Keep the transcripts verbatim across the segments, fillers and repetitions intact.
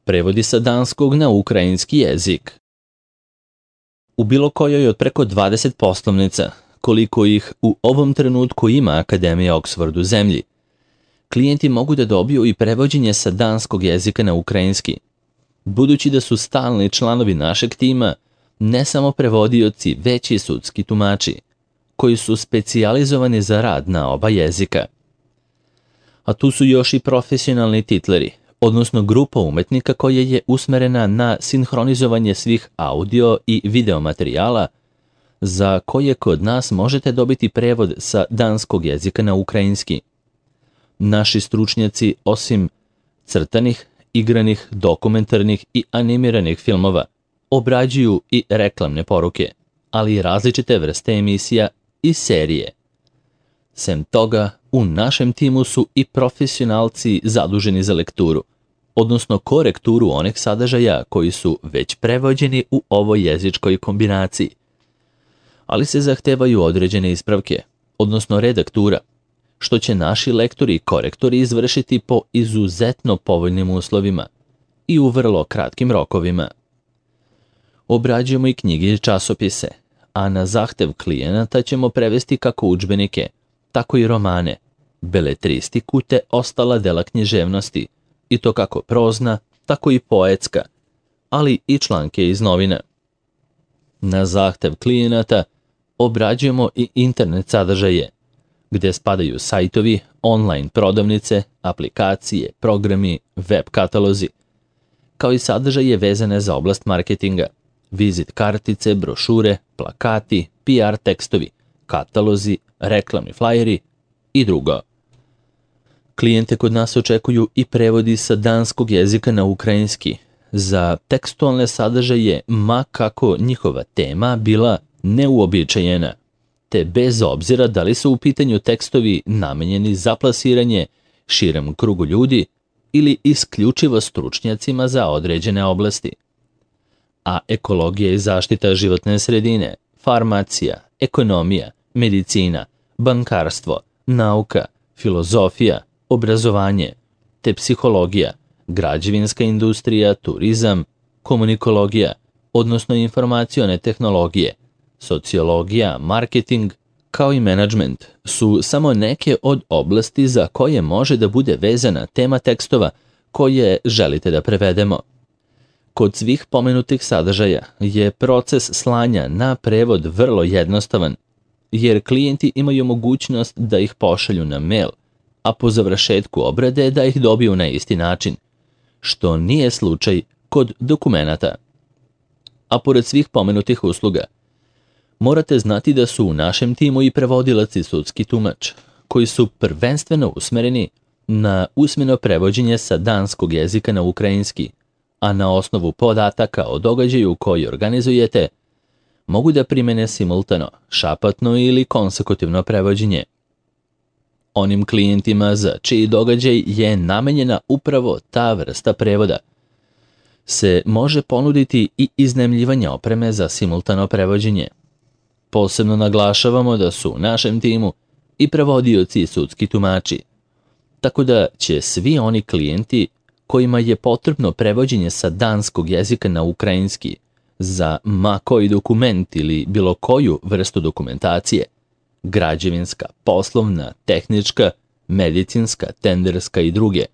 prevodi sa danskog na ukrajinski jezik. U bilo kojoj od preko dvadeset poslovnica, koliko ih u ovom trenutku ima Akademija Oxford u zemlji, klijenti mogu da dobiju i prevođenje sa danskog jezika na ukrajinski. Budući da su stalni članovi našeg tima, ne samo prevodioci, već i sudski tumači, koji su specijalizovani za rad na oba jezika. A tu su još i profesionalni titleri, odnosno grupa umetnika koja je usmerena na sinhronizovanje svih audio i video materijala, za koje kod nas možete dobiti prevod sa danskog jezika na ukrajinski. Naši stručnjaci, osim crtanih, igranih, dokumentarnih i animiranih filmova, obrađuju i reklamne poruke, ali i različite vrste emisija i serije. Sem toga, u našem timu su i profesionalci zaduženi za lekturu, odnosno korekturu onih sadržaja koji su već prevođeni u ovoj jezičkoj kombinaciji. Ali se zahtevaju određene ispravke, odnosno redaktura, što će naši lektori i korektori izvršiti po izuzetno povoljnim uslovima i u vrlo kratkim rokovima. Obrađujemo i knjige i časopise, a na zahtev klijenata ćemo prevesti kako udžbenike, tako i romane, beletristiku te ostala dela književnosti, i to kako prozna, tako i poetska, ali i članke iz novina. Na zahtev klijenata obrađujemo i internet sadržaje, gde spadaju sajtovi, online prodavnice, aplikacije, programi, web katalozi, kao i sadržaje vezane za oblast marketinga, vizit kartice, brošure, plakati, P R tekstovi, katalozi, reklamni flajeri i drugo. Klijente kod nas očekuju i prevodi sa danskog jezika na ukrajinski za tekstualne sadržaje, ma kako njihova tema bila neuobičajena, te bez obzira da li su u pitanju tekstovi namenjeni za plasiranje širem krugu ljudi ili isključivo stručnjacima za određene oblasti. A ekologija i zaštita životne sredine, farmacija, ekonomija, medicina, bankarstvo, nauka, filozofija, obrazovanje, te psihologija, građevinska industrija, turizam, komunikologija, odnosno informacione tehnologije, sociologija, marketing, kao i menadžment su samo neke od oblasti za koje može da bude vezana tema tekstova koje želite da prevedemo. Kod svih pomenutih sadržaja je proces slanja na prevod vrlo jednostavan, jer klijenti imaju mogućnost da ih pošalju na mail, a po završetku obrade da ih dobiju na isti način, što nije slučaj kod dokumenata. A pored svih pomenutih usluga, morate znati da su u našem timu i prevodilac i sudski tumač, koji su prvenstveno usmereni na usmeno prevođenje sa danskog jezika na ukrajinski, a na osnovu podataka o događaju koji organizujete, mogu da primene simultano, šapatno ili konsekutivno prevođenje. Onim klijentima za čiji događaj je namenjena upravo ta vrsta prevoda se može ponuditi i iznajmljivanje opreme za simultano prevođenje. Posebno naglašavamo da su u našem timu i prevodioci i sudski tumači, tako da će svi oni klijenti kojima je potrebno prevođenje sa danskog jezika na ukrajinski za ma koji dokument ili bilo koju vrstu dokumentacije, građevinska, poslovna, tehnička, medicinska, tenderska i druge,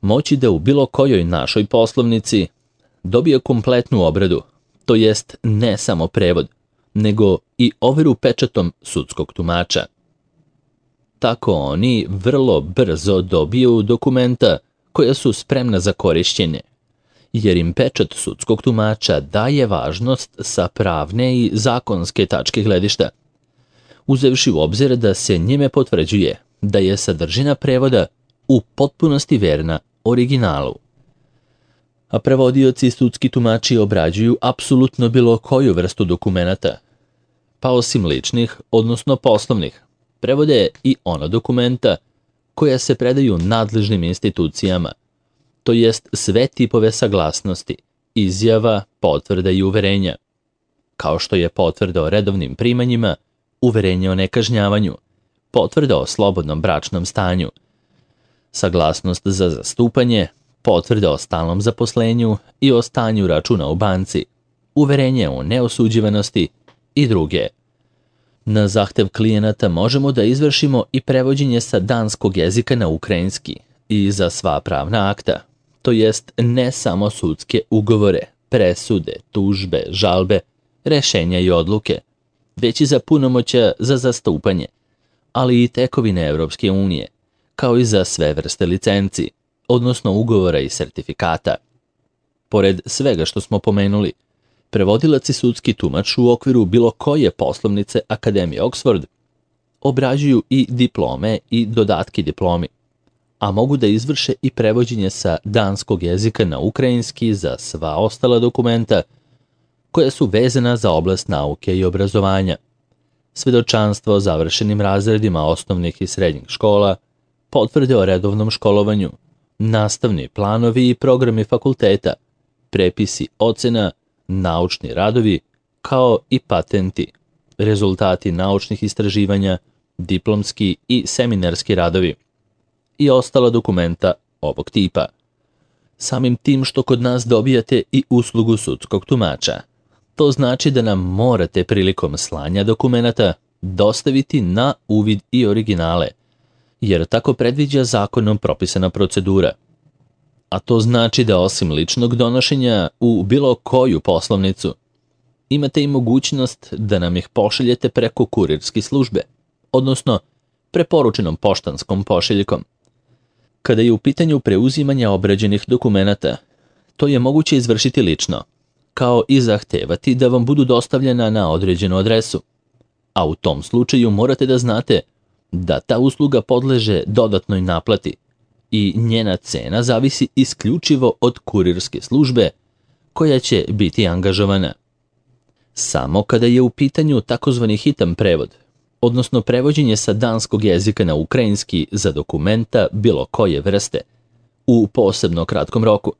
moći da u bilo kojoj našoj poslovnici dobije kompletnu obradu, to jest ne samo prevod, nego i overu pečatom sudskog tumača. Tako oni vrlo brzo dobiju dokumenta koja su spremna za korišćenje, jer im pečat sudskog tumača daje važnost sa pravne i zakonske tačke gledišta, uzevši u obzir da se njime potvrđuje da je sadržina prevoda u potpunosti verna originalu. A prevodioci i sudski tumači obrađuju apsolutno bilo koju vrstu dokumenata, pa osim ličnih, odnosno poslovnih, prevode i ona dokumenta koja se predaju nadležnim institucijama, to jest sve tipove saglasnosti, izjava, potvrda i uverenja, kao što je potvrda o redovnim primanjima, uverenje o nekažnjavanju, potvrda o slobodnom bračnom stanju, saglasnost za zastupanje, potvrde o stalnom zaposlenju i o stanju računa u banci, uverenje o neosuđivanosti i druge. Na zahtev klijenata možemo da izvršimo i prevođenje sa danskog jezika na ukrajinski i za sva pravna akta, to jest ne samo sudske ugovore, presude, tužbe, žalbe, rešenja i odluke, već i za punomoćja za zastupanje, ali i tekovine Evropske unije, kao i za sve vrste licenci, odnosno ugovora i sertifikata. Pored svega što smo pomenuli, prevodilac i sudski tumač u okviru bilo koje poslovnice Akademije Oxford obrađuju i diplome i dodatke diplomi, a mogu da izvrše i prevođenje sa danskog jezika na ukrajinski za sva ostala dokumenta koja su vezana za oblast nauke i obrazovanja, svedočanstvo o završenim razredima osnovnih i srednjih škola, potvrde o redovnom školovanju, nastavni planovi i programi fakulteta, prepisi ocena, naučni radovi, kao i patenti, rezultati naučnih istraživanja, diplomski i seminarski radovi i ostala dokumenta ovog tipa. Samim tim što kod nas dobijate i uslugu sudskog tumača, to znači da nam morate prilikom slanja dokumenata dostaviti na uvid i originale, jer tako predviđa zakonom propisana procedura. A to znači da osim ličnog donošenja u bilo koju poslovnicu, imate i mogućnost da nam ih pošaljete preko kurirske službe, odnosno preporučenom poštanskom pošiljkom. Kada je u pitanju preuzimanja obrađenih dokumenata, to je moguće izvršiti lično, kao i zahtevati da vam budu dostavljena na određenu adresu. A u tom slučaju morate da znate da ta usluga podleže dodatnoj naplati i njena cena zavisi isključivo od kurirske službe koja će biti angažovana. Samo kada je u pitanju takozvani hitan prevod, odnosno prevođenje sa danskog jezika na ukrajinski za dokumenta bilo koje vrste, u posebno kratkom roku,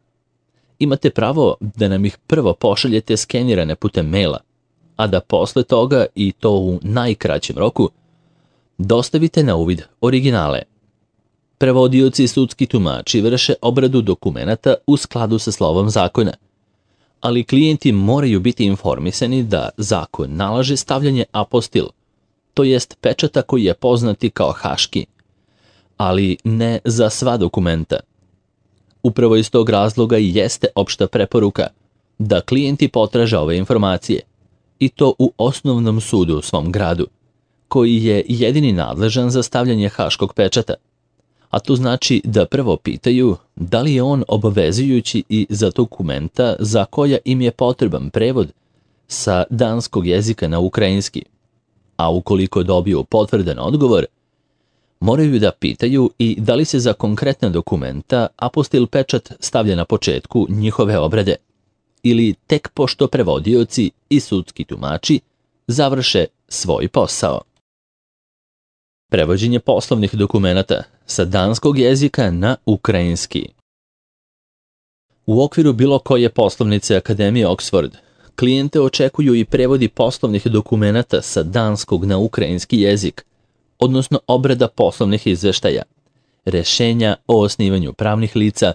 imate pravo da nam ih prvo pošaljete skenirane putem maila, a da posle toga, i to u najkraćem roku, dostavite na uvid originale. Prevodioci i sudski tumači vrše obradu dokumenata u skladu sa slovom zakona, ali klijenti moraju biti informisani da zakon nalaže stavljanje apostil, to jest pečata koji je poznati kao haški, ali ne za sva dokumenta. Upravo iz tog razloga i jeste opšta preporuka da klijenti potraže ove informacije, i to u osnovnom sudu u svom gradu, koji je jedini nadležan za stavljanje haškog pečata, a to znači da prvo pitaju da li je on obavezujući i za dokumenta za koja im je potreban prevod sa danskog jezika na ukrajinski, a ukoliko dobiju potvrdan odgovor, moraju da pitaju i da li se za konkretna dokumenta apostil pečat stavlja na početku njihove obrade, ili tek pošto prevodioci i sudski tumači završe svoj posao. Prevođenje poslovnih dokumenata sa danskog jezika na ukrajinski. U okviru bilo koje poslovnice Akademije Oxford, klijente očekuju i prevodi poslovnih dokumenata sa danskog na ukrajinski jezik, odnosno obrada poslovnih izveštaja, rešenja o osnivanju pravnih lica,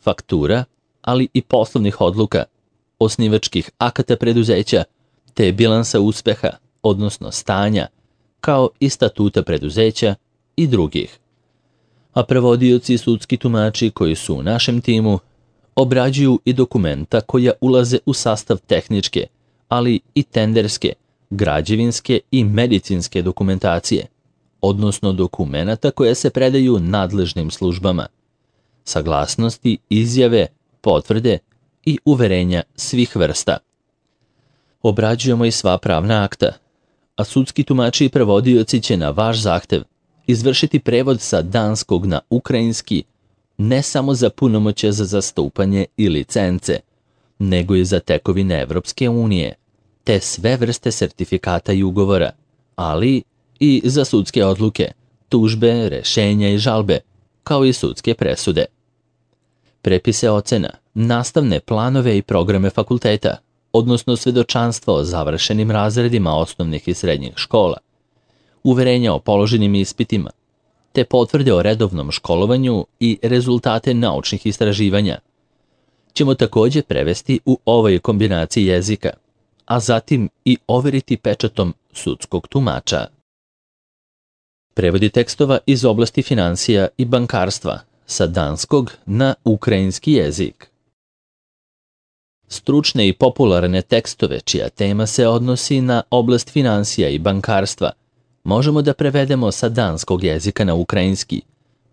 faktura, ali i poslovnih odluka, osnivačkih akata preduzeća, te bilansa uspeha, odnosno stanja, kao i statuta preduzeća i drugih. A prevodioci i sudski tumači koji su u našem timu obrađuju i dokumenta koja ulaze u sastav tehničke, ali i tenderske, građevinske i medicinske dokumentacije, odnosno dokumenata koje se predaju nadležnim službama, saglasnosti, izjave, potvrde i uverenja svih vrsta. Obrađujemo i sva pravna akta, a sudski tumači i prevodioci će na vaš zahtev izvršiti prevod sa danskog na ukrajinski ne samo za punomoćje za zastupanje i licence, nego i za tekovine Evropske unije, te sve vrste sertifikata i ugovora, ali i za sudske odluke, tužbe, rešenja i žalbe, kao i sudske presude. Prepise ocena, nastavne planove i programe fakulteta, odnosno svedočanstvo o završenim razredima osnovnih i srednjih škola, uverenja o položenim ispitima, te potvrde o redovnom školovanju i rezultate naučnih istraživanja ćemo također prevesti u ovoj kombinaciji jezika, a zatim i overiti pečatom sudskog tumača. Prevodi tekstova iz oblasti financija i bankarstva sa danskog na ukrajinski jezik. Stručne i popularne tekstove čija tema se odnosi na oblast financija i bankarstva možemo da prevedemo sa danskog jezika na ukrajinski,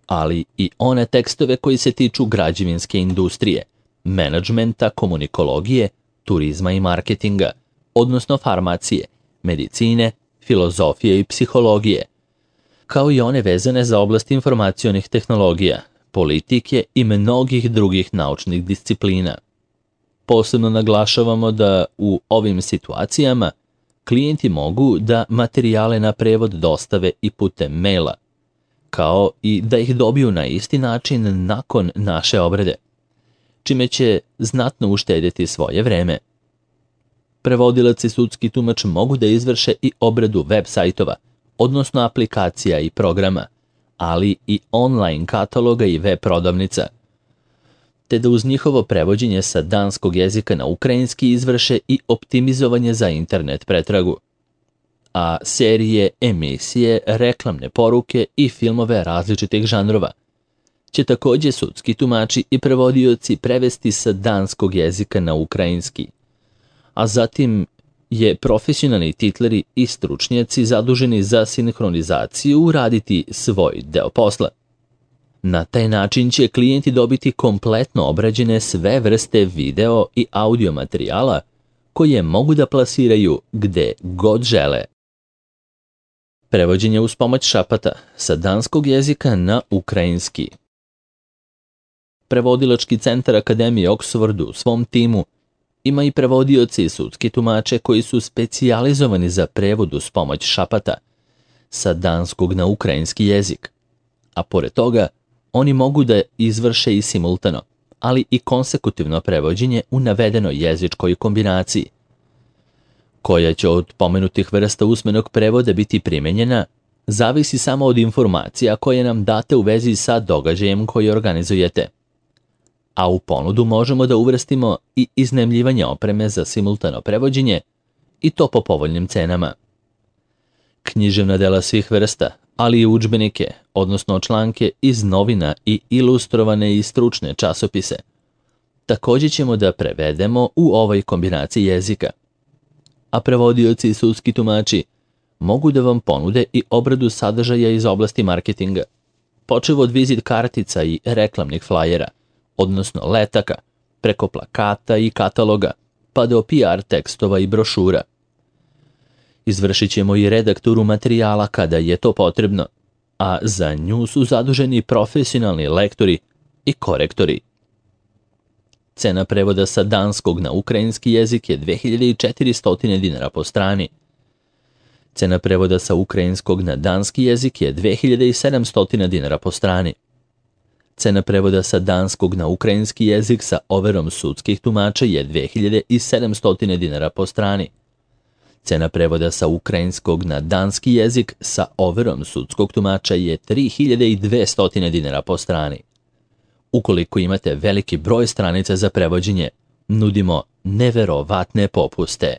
ali i one tekstove koji se tiču građevinske industrije, menadžmenta, komunikologije, turizma i marketinga, odnosno farmacije, medicine, filozofije i psihologije, kao i one vezane za oblast informacionih tehnologija, politike i mnogih drugih naučnih disciplina. Posebno naglašavamo da u ovim situacijama klijenti mogu da materijale na prevod dostave i putem maila, kao i da ih dobiju na isti način nakon naše obrade, čime će znatno uštedjeti svoje vreme. Prevodilac i sudski tumač mogu da izvrše i obradu web sajtova, odnosno aplikacija i programa, ali i online kataloga i web prodavnica, te da uz njihovo prevođenje sa danskog jezika na ukrajinski izvrše i optimizovanje za internet pretragu, a serije, emisije, reklamne poruke i filmove različitih žanrova će također sudski tumači i prevodioci prevesti sa danskog jezika na ukrajinski, a zatim je profesionalni titleri i stručnjaci zaduženi za sinhronizaciju uraditi svoj deo posla. Na taj način će klijenti dobiti kompletno obrađene sve vrste video i audio materijala koje mogu da plasiraju gde god žele. Prevođenje uz pomoć šapata sa danskog jezika na ukrajinski. Prevodilački centar Akademije Oxford u svom timu ima i prevodioci i sudski tumače koji su specijalizovani za prevod uz pomoć šapata sa danskog na ukrajinski jezik, a pored toga oni mogu da izvrše i simultano, ali i konsekutivno prevođenje u navedenoj jezičkoj kombinaciji, koja će od pomenutih vrsta usmenog prevoda biti primenjena, zavisi samo od informacija koje nam date u vezi sa događajem koji organizujete. A u ponudu možemo da uvrstimo i iznajmljivanje opreme za simultano prevođenje, i to po povoljnim cenama. Književna dela svih vrsta, ali i udžbenike, odnosno članke iz novina i ilustrovane i stručne časopise, također ćemo da prevedemo u ovoj kombinaciji jezika. A prevodioci i sudski tumači mogu da vam ponude i obradu sadržaja iz oblasti marketinga, počev od vizit kartica i reklamnih flajera, odnosno letaka, preko plakata i kataloga, pa do P R tekstova i brošura. Izvršit ćemo i redakturu materijala kada je to potrebno, a za nju su zaduženi profesionalni lektori i korektori. Cena prevoda sa danskog na ukrajinski jezik je dve hiljade četiristo dinara po strani. Cena prevoda sa ukrajinskog na danski jezik je dve hiljade sedamsto dinara po strani. Cena prevoda sa danskog na ukrajinski jezik sa overom sudskih tumača je dve hiljade sedamsto dinara po strani. Cena prevoda sa ukrajinskog na danski jezik sa overom sudskog tumača je tri hiljade dvesta dinara po strani. Ukoliko imate veliki broj stranica za prevođenje, nudimo neverovatne popuste.